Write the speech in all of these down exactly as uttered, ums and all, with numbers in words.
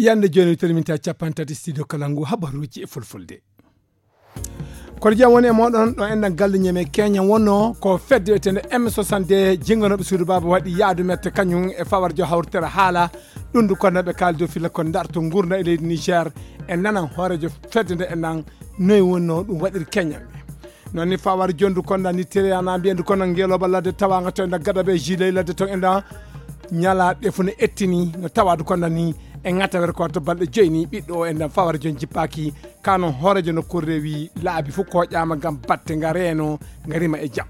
Yande jooni, teliminta capanɗe tati studio kala ngu habaruuji e fulfulde. Kono jam woni e mooɗon ɗo enɗan galle ñeme Kenya wonno ko fedde wiyetende M soixante-deux jinganoɓe suudu baaba waɗi yaadu mette kañum e fawarjo hawritere haala. Ɗum ndu kono ɓe kaali dow filla ko darto ngurda e leydi Niger. E nanan hoorejo fedde nde enɗan noy wonno ɗum waɗiri Kenya. Noon ni fawar jondu konda ni tiriyana mbiyendu kono ngeloba ladde tawanga to enɗan gada ɓe jiley ladde to enɗan ñala ɗefu no ettini no tawadu konda ni e ŋatawere ko to balɗe joyni ɓiɗɗo o enɗan fawar jon jippaki. Kano hoorejo nokkuure rewi laabi fof koƴama ngam batte nga reeno nga rima e jam.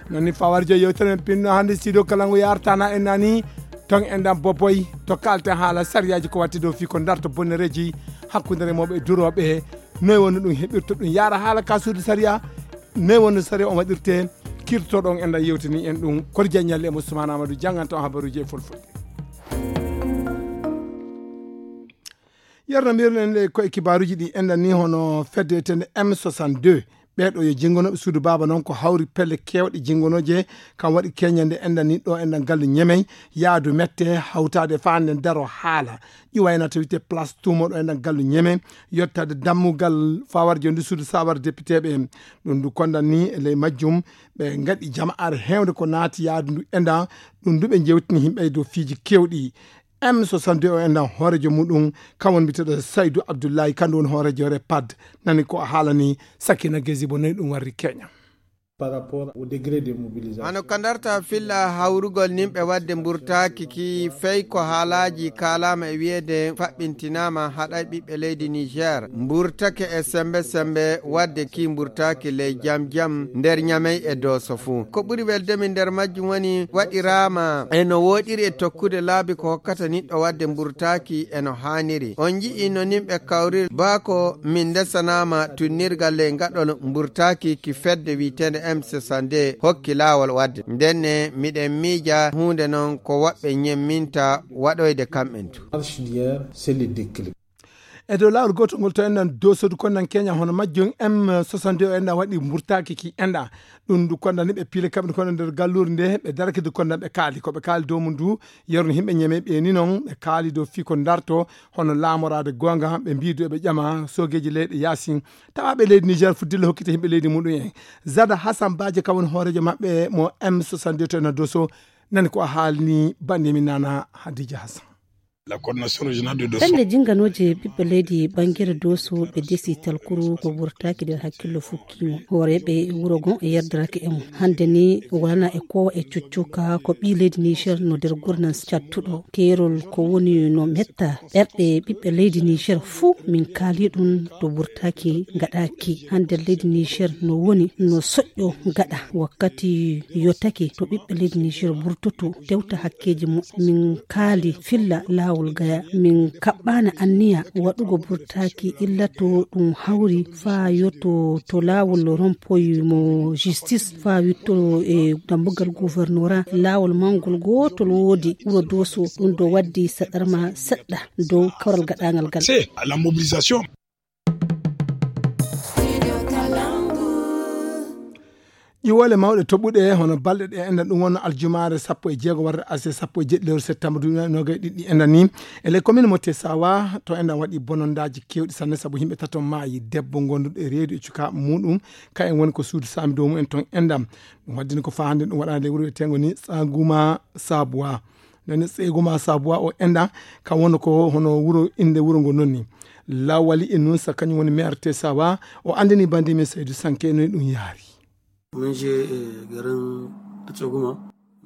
Noon ni fawar jon yewtere men pinno hannde studio kala ngu yartana en nani ton enɗan boboy to kalten haala sariyaji ko watti dow fii ko darto bonnereji hakkunde remooɓe e durooɓe. Noy wonno ɗum heɓirta ɗum yaara haala ka suudu sariya? Noy wonno sariya on waɗirte? Kirtoɗon enɗan yewtini en ɗum kor jaññalle e mo Soumana Amadou janganta on habaruji e fulfulde. Yerno mbiruɗen ɗe koye kibaruji ɗi enɗan ni hono fedde wiyetende M soixante-deux. Ɓeeɗo yo jingonoɓe suudu baaba noon ko hawri pelle kewɗe jingonoje. Kam waɗi keñande enɗan ni ɗo enɗan gallu ñemey yaadu mette hawtaade faa nden daro haala ƴuwayna to wiyte place tumoɗo enɗan gallu ñemey yottade dammugal fawarjo ndu suudu sawar députéɓe. Ɗum ndu kondan ni e ley majjum ɓe ngaɗi jama'aare heewde ko naati yaadu ndu enɗan. Ɗum ndu ɓe jewtini himɓe e dow fiiji kewɗi. M soixante-deux o enɗan hoorejo muɗum kam woni mbiteɗo Saydou Abdoulaye kandu woni hoorejo repad. Nani ko a haalani Sakina Gezi bo noyi ɗum warri Kenya. Par rapport au degré de mobilisation. Hano ka darta filla hawrugol nimɓe wadde mburtaaki ki fey ko haalaaji kaalaama e wiyeede faɓɓintinaama haɗay ɓiɓɓe leydi Niger mburtake e sembe sembe wadde ki mburtaaki ley jam jam nder ñamey e dooso fuu. Ko ɓuri weldemi nder majjum woni waɗiraama e no wooɗiri e tokkude laabi ko hokkata niɗɗo wadde mburtaaki e no haaniri. On nji'i no nimɓe kawriri baa ko min ndesanaama tunnirgal ley ngaɗol mburtaaki ki fedde wi'eteende M soixante-deux hokki laawol wadde. Ndenne miɗen miija huunde non ko woɓɓe ñemminta waɗoyde kamɓen tun. Marche d'hier, c'est le déclic. E dow laawol gootol ngol to enɗan dosodu kondan keña hono majjum M soixante-deux o enɗan waɗi mburtaaki ki enɗan. Ɗum ndu kondan ni ɓe piile kamɓe kono nder galluure nde ɓe darake du kondan ɓe kaali ko ɓe kaali dow mum du. Yerno himɓe ñeme ɓe ni non ɓe kaali dow fii ko darto hono laamoraade goonga ɓe mbiidu eɓe ƴama soogeeji leyɗe yaasin. Tawaaɓe leydi Niger fuddilla hokkita himɓe leydi muɗum en. Zada Hassan Baje kam woni hooreejo maɓɓe mo M soixante-deux to enɗan doso. Nani ko a haalni bannde min nana Hadija Hassan. La coordination régionale de Dosso. Pelle jinganooje ɓiɓɓe leydi ɓangere Dosso ɓe desi talkuru ko wurtaaki nder hakkillo fukkiimo. Hooreeɓe wuro gon e yerdirake e mum. Hannde ni walana e kowa e cuccuka ko ɓii leydi Niger no nder gurnan cattuɗo. Keerol ko woni no metta ɓerɗe ɓiɓɓe leydi Niger fuu min kaali ɗum to wurtaaki ngaɗaaki. Hannde leydi Niger no woni no soƴƴo gaɗa wakkati yotake to ɓiɓɓe leydi Niger burtoto tewta hakkeeji mum. Min kaali filla laawol gaya. Min kaɓɓaana anniya waɗugo burtaaki illa to ɗum hawri faa yotto to laawol rompoy mo justice faa witto e dambugal gouvernorat. Laawol mangol gootol woodi wuro Doso. Ɗum ɗo waddi saɗarma seɗɗa dow kawral gaɗaangal gal. C'est la mobilisation. Ƴiwole mawɗe toɓuɗe hono balɗe ɗe enɗan ɗum wonno aljumaare sappo e jeego warde aset sappo e jeɗɗi lewru septembre duuɓi noogay ɗiɗi enɗan ni e ley commune mo Tesawa to enɗan waɗi bonondaaji keewɗi sanne sabu yimɓe tato maayi debbo gonduɗo e reedu e cukaaɓe muɗum kayen woni ko suudu saami dow mumen ton enɗan. Ɗum waddini ko faa hannde ɗum waɗaani ley wuro wiyeteengo ni Tsanguma Sabuwa. Nani Tsanguma Sabuwa o enɗan kam wonno ko hono wuro innde wuro ngo non ni. Lawali e nun sa kañum woni maire Tesawa o anndini bandi min Saydu Sanke no ɗum yaari. Mun je garin Tsanguma.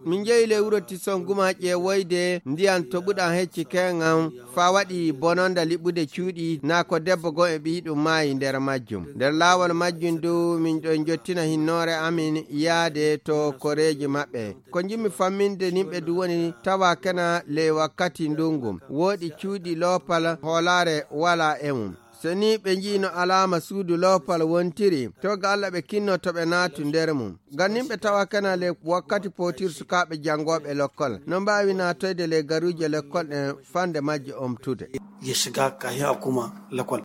Min jeyi ley wuro Tsanguma ƴeewoyde ndiyan toɓuɗan hecci keŋan faa waɗi bononda liɓude cuuɗi naa ko debbo goo e ɓiyɗum maayi nder majjum. Nder laawol majjum du min ɗon jottina hinnoore amin yaade to koreeji maɓɓe. Ko njimmi famminde nimɓe du woni tawa kena ley wakkati ndungu. Wooɗi cuuɗi loopal hoolaare walaa e mum. So nii ɓe nji'ino alaama suudu loopal wontiri, to ga Alla ɓe kinno to ɓe naatu nder mum. Gannin ɓe tawa kena ley wakkati pootir sukaaɓe janngooɓe lekkol. No mbaawi naatoyde ley garuuje lekkol ɗen fande majje omtude. Ya shiga kahin a koma lekkol.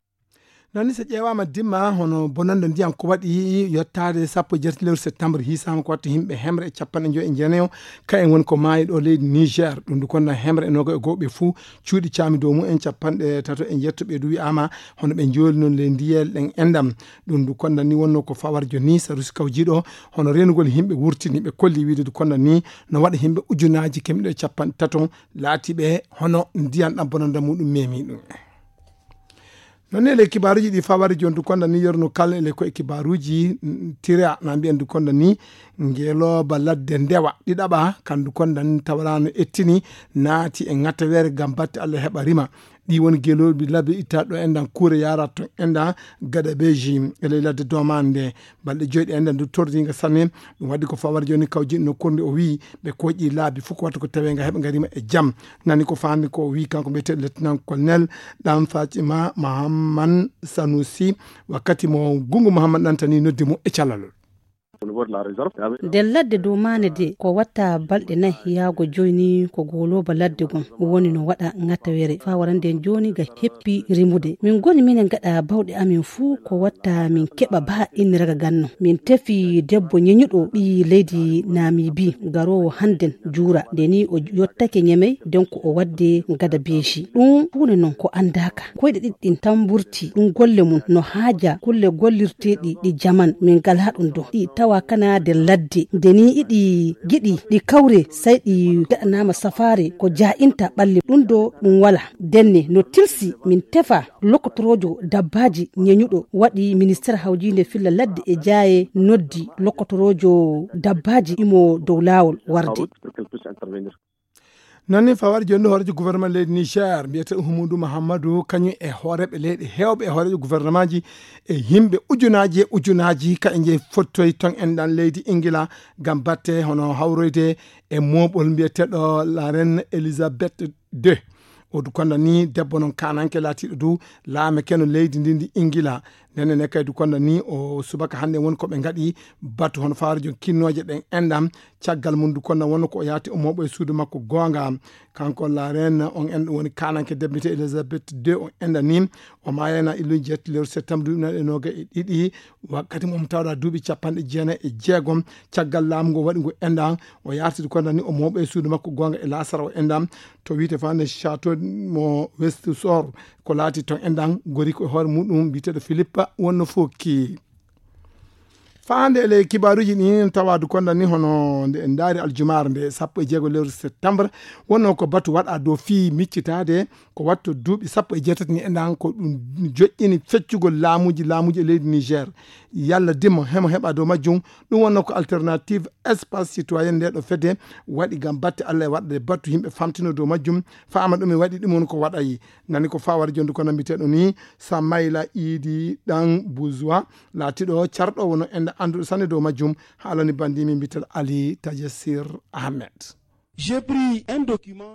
Nani so ƴeewaama dimma hono bonannde ndiyam ko waɗi yottaade sappo e jeetati lewru septembre, hiisaama ko watta yimɓe hemre e capanɗe njoy e jeenayo, kayen woni ko maayi ɗo leydi Niger. Ɗum ndu konna hemre e noga e goo ɓe fuu cuuɗi caami dow mumen capanɗe tato e njeetto ɓe du wi'aama hono ɓe njooli noon ley ndiyel ɗen endam. Ɗum ndu konna ni wonno ko fawar joni sarusi kawjiiɗo hono reenugol yimɓe wurtini ɓe kolli wiide ndu konna ni no waɗa yimɓe ujunaaji kemɗe capanɗe tato laatiiɓe hono ndiyam ɗam bonannde muɗum memi ɗum. Noon ne le kibaaruuji ɗi fawari jontu konda ni yorno kala ele ko e kibaaruuji tira na mbiyan du konda ni ngelooba ladde ndewa ɗiɗaɓa kandu konda ni tawara no ettini naati e ŋattawere ngam batte Allah heɓa rima. Ɗi woni geloobi labbe itta ɗo endan kuure yara to enda gada beji ele ladde domande. Balɗe joyɗe enda du tordiga sanne. Ɗum waddi ko fawar joni kawji no korndi o wi ɓe koƴi laabi fof ko watta ko tawe nga heɓa nga rima e jam. Nani ko fandi ko wi kanko mbiyete lieutenant colonel ɗan fatima mahamman sanusi wakkati mo gungu mahamman ɗantani noddi mo e calalol. Nder ladde dow maane de ko watta balɗe nayi yaago joyni ko goloba ladde gon woni no waɗa ŋattawere fa warande joni ga heppi rimude. Min goni minen gaɗa bawɗe amin fuu ko watta min keɓa ba inniraga ganno. Min tefi debbo ñeñuɗo ɓii leydi Namibi garoowo hannden juura. Nde ni o yottake ñemey, donc o wadde gada beeshi. Ɗum huunde non ko anndaaka. Koyɗe ɗiɗi ɗin tan mburti. Ɗum golle mum no haaja kulle gollirteeɗi ɗi jaman. Min ngalaa ɗum do. Ɗi tawa kana nder ladde. Nde ni iɗi giɗi ɗi kawre, sey ɗi gaɗanaama safaare ko jaa'inta ɓalli. Ɗum do ɗum wala. Denne no tilsi min tefa lokotoroojo dabbaaji ñeñuɗo waɗi ministeer hawjiinde filla ladde e jaaye noddi lokotoroojo dabbaaji imo dow laawol warde. Noon ni fawar joni hoorejo gouvernement leydi Niger mbiyete Uhumudu Mahammadu kañum e hooreɓe leyɗe hewɓe e hoorejo gouvernement ji e yimɓe ujunaji e ujunaji ka e jeyi fottoyi ton en ɗan leydi Ingila ngam batte hono hawroyde e moɓol mbiyeteɗo la reine Elizabeth deux. O du konda ni debbo non kananke laatiɗo du laame keno leydi ndi ndi Ingila. Nene ne kay du konda ni o subaka hande woni ko ɓe ngaɗi batu hono fawarejo kinnoje ɗen enɗam. Caggal mum du konda wonno ko o yaati o moɓo e suudu makko gonga. Kanko la reine on enɗo woni kananke debbo mbiyete Elizabeth deux on enɗa ni. O mayana illuji jetti lewru septembre duuɓi nayi e noga e ɗiɗi. Wakkati mo omo tawɗa duuɓi capanɗe jeenayi e jeegom caggal laamu ngo waɗi ngu enɗam. O yartidi konda ni o moɓo e suudu makko gonga e lasara o enɗam. To wiyte fande château mo Westusor ko laati ton enɗam gori ko e hoore muɗum mbiteɗo Philippe wonno fokki. Faande e ley kibaaruuji ɗin tawaadu konda ni hono nde en ndaari aljumaare nde sappo e jeego lewru septembre wonno ko batu waɗa dow fii miccitaade ko watto duuɓi sappo e jeetati ni enɗan ko ɗum joƴƴini feccugol laamuuji laamuuji e leydi Niger. Yalla dimo hemo heɓa dow majjum. Ɗum wonno ko alternative espace citoyen nde ɗo fedde waɗi ngam batte Allah e waɗde battu yimɓe famtino dow majjum. Faama ɗum e waɗi ɗum woni ko waɗayi nani ko fawar jondu kono mbiteɗo ni Samayla Idi ɗan Buzwa laatiɗo carɗo wono enɗa anduɗo sanne dow majjum. Haalani bandimi mbiteɗo Ali Tajasir Ahmed.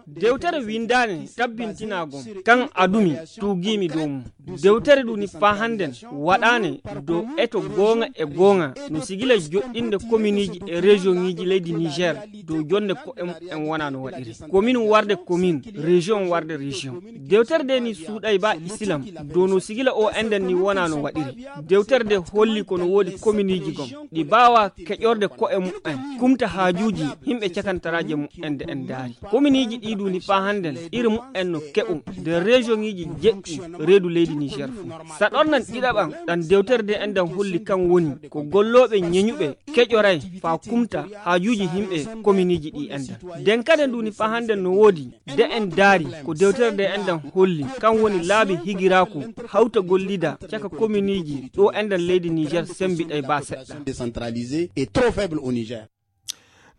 Dewtere windaane tabbintinaago kan adumi tuugiimi dow mum. Dewtere ɗum ni faa hannden waɗaane dow eto goonga e goonga no sigila joɗɗinde kominiiji e regioniiji leydi Niger dow jonde ko'e mumen wona no waɗiri. Komin warde komin, region warde region. Dewtere nde ni suuɗay ba Islam dow no sigila o enɗan ni wona no waɗiri. Dewtere nde holli ko no woodi kominiiji gom ɗi baawa keƴorde ko'e mumen kumta haajuuji yimɓe cakantaraaje mumen nde en ndaari. Kominiiji ɗi duuni faa hannden iri mumen no keɓu nder regioniiji jeɗɗi reedu leydi Niger fuu. Saɗornan ɗiɗaɓan ɗan dewtere nde enɗan holli kan woni ko gollooɓe ñeñuɓe keƴoray faa kumta haajuuji yimɓe kominiiji ɗi enɗan. Nden kaden duuni faa hannden no woodi de en daari ko dewtere nde enɗan holli kan woni laabi higiraaku hawta gollida caka kominiiji ɗo enɗan leydi Niger sembiɗay ba seɗɗa. Décentralisé et trop faible au Niger.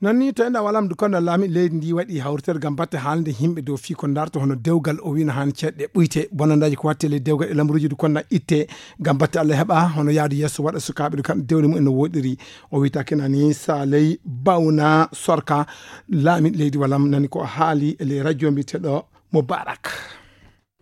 Noon ni to enɗan walam du konda laami leydi ndi waɗi hawritere ngam batte haalde yimɓe dow fii ko ndarto hono dewgal o wino han ceɗɗe ɓuyte bonandaji ko watte ley dewgal e lamruji du konda itte ngam batte Allah heɓa hono yaadu yeeso waɗa sukaaɓe du kamɓe dewle mumen no woɗiri. O wiyta kenani Saley Bawna Sorka laami leydi walam nani ko haali e ley radio mbiyeteɗo Mubarak.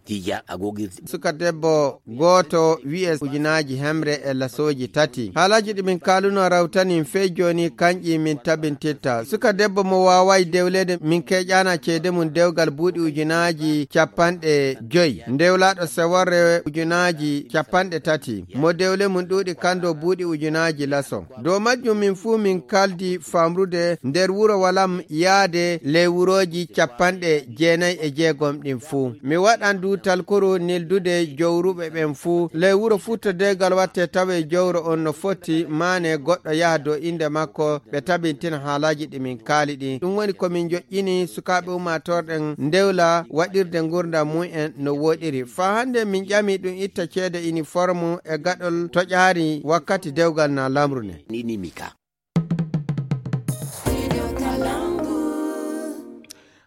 Tija a gogirde. Suka debbo gooto wi'e ujunaaji hemre e lasooji tati. Haalaaji ɗi min kaalunoo rawtanii fey jooni, kanƴi min tabintitta. Suka debbo mo waaway dewleede, min keƴaana ceede mum dewgal buuɗi ujunaaji capanɗe joy. Ndewlaaɗo seworre ujunaaji capanɗe tati. Mo dewle mum ɗuuɗi kando buuɗi ujunaaji laso. Dow majjum min fuu min kaldi famrude nder wuro walam yaade ley wurooji capanɗe jeenay e jeegom ɗin fuu. Mi waɗan du talkuru nildude jowruɓe ɓen fuu. Ley wuro fuu to dewgal watte tawe jowro on no foti maane goɗɗo yaha dow innde makko, ɓe tabintina haalaaji ɗi min kaali ɗin. Ɗum woni ko min joƴƴini sukaaɓe ummaatoore ɗen ndewla waɗirde ngurndan mum en no woɗiri. Faa hande min ƴami ɗum itta ceede iniformu e gaɗol toƴaari wakkati dewgal na lamru ne. Ni, ni, mi ka.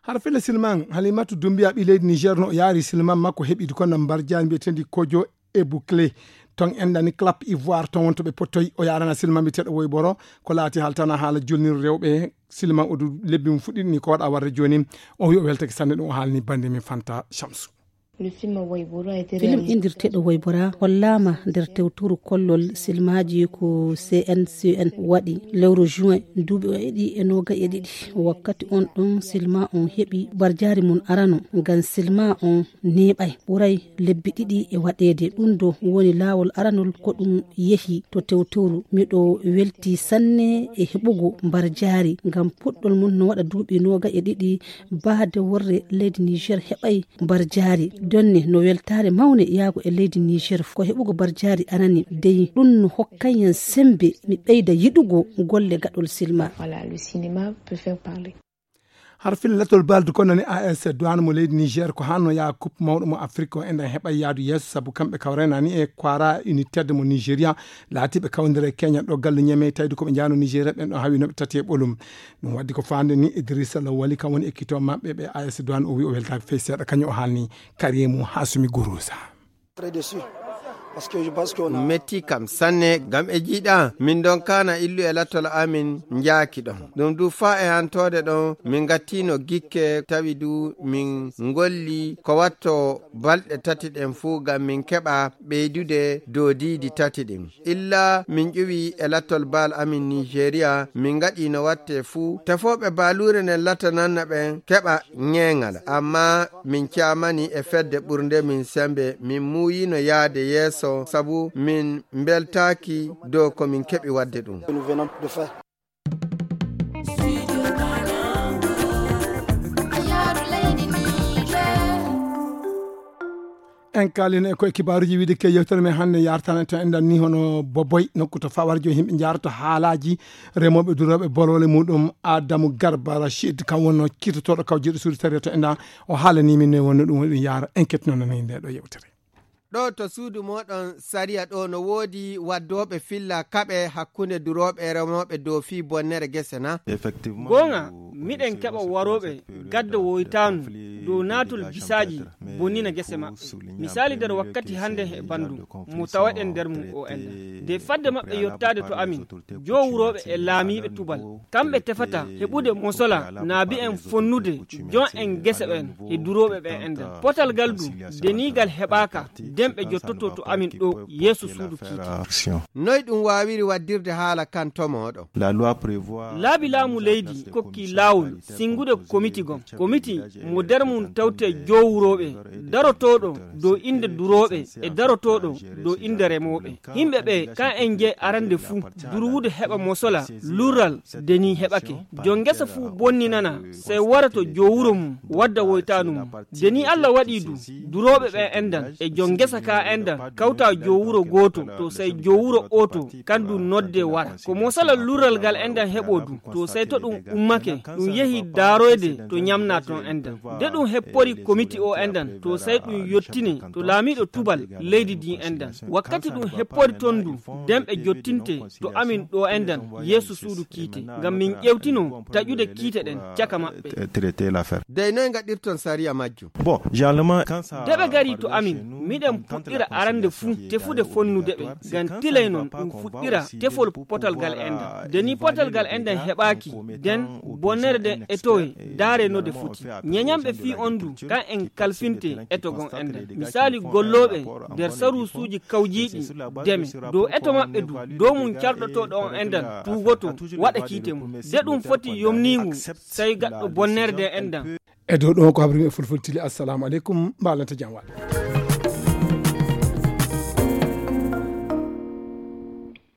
Har fele Silman, Halimatu Dumbiya ɓii leydi Niger no yaari Silman makko heɓiɗi ko na mbarjaari mbiyetendi Kojo e Bouclé. Ton en nani Clap Ivoire, ton wonto ɓe pottoy o yaarana Silman mbiyeteeɗo Woy Boro, ko laati haaltana haala jolnir rewɓe Silman o du lebbi mum fuɗɗiɗi ni ko waɗa warde jooni. O wi o weltake sanne ɗum o haalni bande min Fanta Shamsu. Film indirteeɗo Woybora hollaama nder tewturu kollol silmaaji ko C N C N waɗi lewru juin duuɓi o eɗi e noga e ɗiɗi. Wakkati on ɗon silma on heɓi barjaari mum arano ngam silma on neeɓay ɓuray lebbi ɗiɗi e waɗeede. Ɗum ɗo woni laawol aranol ko ɗum yehi to tewturu. Miɗo welti sanne e heɓugo barjaari ngam puɗɗol mum no waɗa duuɓi noga e ɗiɗi. Baade worre leydi Niger heɓay barjaari. Donne no weltaare mawne yaago e leydi Niger ko heɓugo barjaari arani dey ɗum no hokkay en sembe mi ɓeyda yiɗugo golle gaɗol silma. Voilà, le cinéma peut faire parler. Har fil latol baldu ko nani A S Douane mo leydi Niger ko hanno yaa coupe mawɗo mo Afrique o enɗan heɓay yaadu yeeso sabu kamɓe kawrenani e kwara united mo Nigeria laatiɓe kawndere Kenya ɗo gallu Niamey tawde ko ɓe njaano Nigeria ɓen ɗo hawi noɓe tati e ɓolum. Ɗum waddi ko faande ni Idrissa Lawali kam woni ekkito maɓɓe ɓe A S Douane o wi o weltaaki fey seeɗa kañum o haalni Karimu Hasumi Gurusa. Metti kam sanne ngam e jiiɗa min ɗon kaana illu e lattol amin njaaki ɗon. Ɗum du faa e hantoode ɗon min ngattiino gikke tawi du min ngolli ko watto balɗe tati ɗen fuu ngam min keɓa ɓeydude dow diidi tati ɗin. Illa min ƴuwi e lattol baal amin Nigeria, min ngaɗi no watte fuu. Tefooɓe baaluure nden latananno ɓen keɓa ŋeeŋal. Amma min caamani e fedde ɓurnde min sembe, min muuyino yaade yeeso, sabu min mbeltaaki dow ko min keɓi waɗde ɗum. En kaalino e koye kibaaruuji wiide ke yewtere men hannde yartana to enɗan ni hono Boboy, nokku to fawarjo yimɓe njaarata haalaaji remooɓe durooɓe bolole muɗum. Adamu Garba Rachid kam wonno kirtotooɗo kawjiiɗo suudu sariya to enɗan, o haalani min ne wonno ɗum woni ɗum yaara. En kettinoo nani nde ɗo yewtere. Ɗo to suudu moɗon sariya ɗo no woodi waddooɓe filla kaɓe hakkunde durooɓe e remooɓe dow fii bonnere gese na? Goonga, miɗen keɓa warooɓe gadda woytaanu dow naatol bisaaji bonnina gese maɓɓe. Misaali nder wakkati hannde e banndum mo tawaɗen nder mum o enɗan. De fadde maɓɓe yottaade to amin, jowurooɓe e laamiiɓe tubal, kamɓe tefata heɓude mosola naa bi'en fonnude jon en gese ɓen e durooɓe ɓen enɗan. Potal ngal du, deniigal heɓaaka, den ɓe jottoto to amin ɗo yeeso suudu kiite. Noy ɗum waawiri waddirde haala kan to mooɗo? Laabi laamu leydi kokki laawol singude komiti gom. Komiti mo nder mum tawte jowurooɓe, darotooɗo dow innde durooɓe e darotooɗo dow innde remooɓe. Yimɓe ɓe kan en jey arande fuu, durwude heɓa mosola, lurral, deni heɓake. Jon ngesa fuu bonninana, sey wara to jowuro mum, wadda woytaanu mum. Deni Alla waɗi du, durooɓe ɓen enɗan, e jon ngesa ka enɗan, kawta jowuro gooto, to sey jowuro ooto, kan du nodde wara. Ko mosola lurral ngal enɗan heɓo du, to sey to ɗum ummake, ɗum yehi daaroyde to ñamna ton enɗan. De ɗum heppori komiti o enɗan, to sey ɗum yottine to laamiiɗo tubal leydi ndin enɗan. Wakkati ɗum heppori ton du, den ɓe jottinte to amin ɗo enɗan, yeeso suudu kiite, ngam min ƴewtino taƴude kiite ɗen caka maɓɓe. Traiter l'affaire. Dey noy ngaɗirton sariya majjum? Bon, généralement, quand ça De ɓe gari to amin, miɗen puɗɗira arande fuu tefude fonnude ɓe, ngam tilay non ɗum fuɗɗira tefol potal ngal enɗan. De ni potal ngal enɗan heɓaaki, den bonne Nder den etowe, daare no de foti. Ñeñanɓe fii on du, kan en kalfinte eto gon endan. Misaali gollooɓe der saruusuuji kawjiiɗi deme. Dow eto maɓɓe du, dow mum carɗotooɗo on endan, tuugoto, waɗa kiite mum. De ɗum foti yomniingu, sey gaɗɗo bonnerde endan. E dow ɗon ko habri e fulfultili. Assalamu aleykum, mbaalanta jam waɗa.